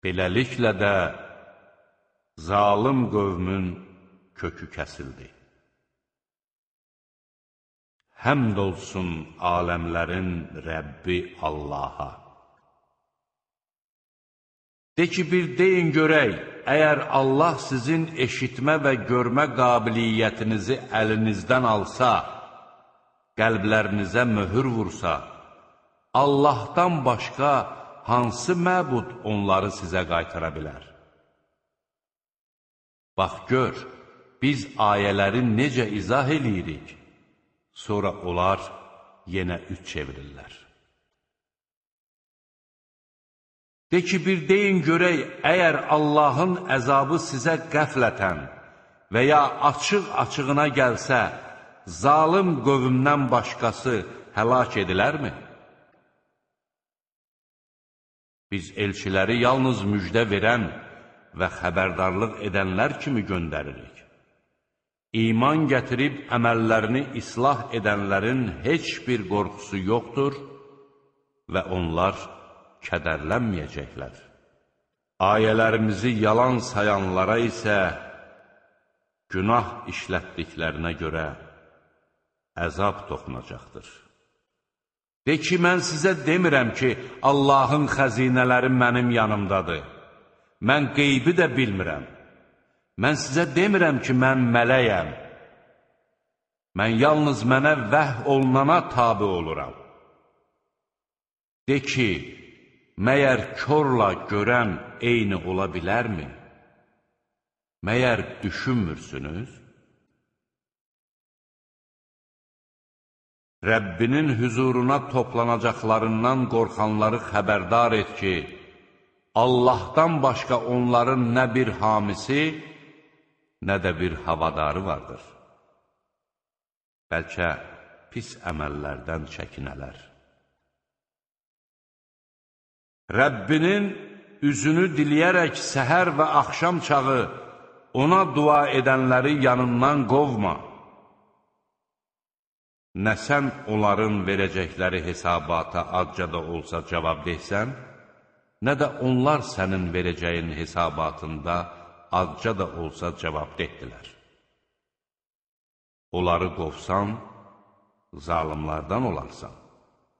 Beləliklə də zalım qövmün kökü kəsildi. Həmd olsun aləmlərin Rəbbi Allaha. De ki, bir deyin görək, əgər Allah sizin eşitmə və görmə qabiliyyətinizi əlinizdən alsa, qəlblərinizə möhür vursa, Allahdan başqa hansı məbud onları sizə qaytara bilər? Bax, gör, biz ayələri necə izah eləyirik, sonra onlar yenə üç çevirirlər. De ki, bir deyin görək, əgər Allahın əzabı sizə qəflətən və ya açıq-açığına gəlsə, zalım qövmdən başqası həlak edilərmi? Biz elçiləri yalnız müjdə verən və xəbərdarlıq edənlər kimi göndəririk. İman gətirib əməllərini islah edənlərin heç bir qorxusu yoxdur və onlar kədərlənməyəcəklər. Ayələrimizi yalan sayanlara isə günah işlətdiklərinə görə əzab toxunacaqdır. De ki, mən sizə demirəm ki, Allahın xəzinələri mənim yanımdadır. Mən qeybi də bilmirəm. Mən sizə demirəm ki, mən mələyəm. Mən yalnız mənə vəh olunana tabi oluram. De ki, məyər körla görən eyni ola bilərmi? Məyər düşünmürsünüz? Rəbbinin hüzuruna toplanacaqlarından qorxanları xəbərdar et ki, Allahdan başqa onların nə bir hamisi, nə də bir havadarı vardır. Bəlkə pis əməllərdən çəkinələr. Rəbbinin üzünü diləyərək səhər və axşam çağı ona dua edənləri yanından qovma. Nə sən onların verəcəkləri hesabata azca da olsa cavab deysən, nə də onlar sənin verəcəyin hesabatında azca da olsa cavab dehdilər. Onları qovsan, zalimlardan olarsan.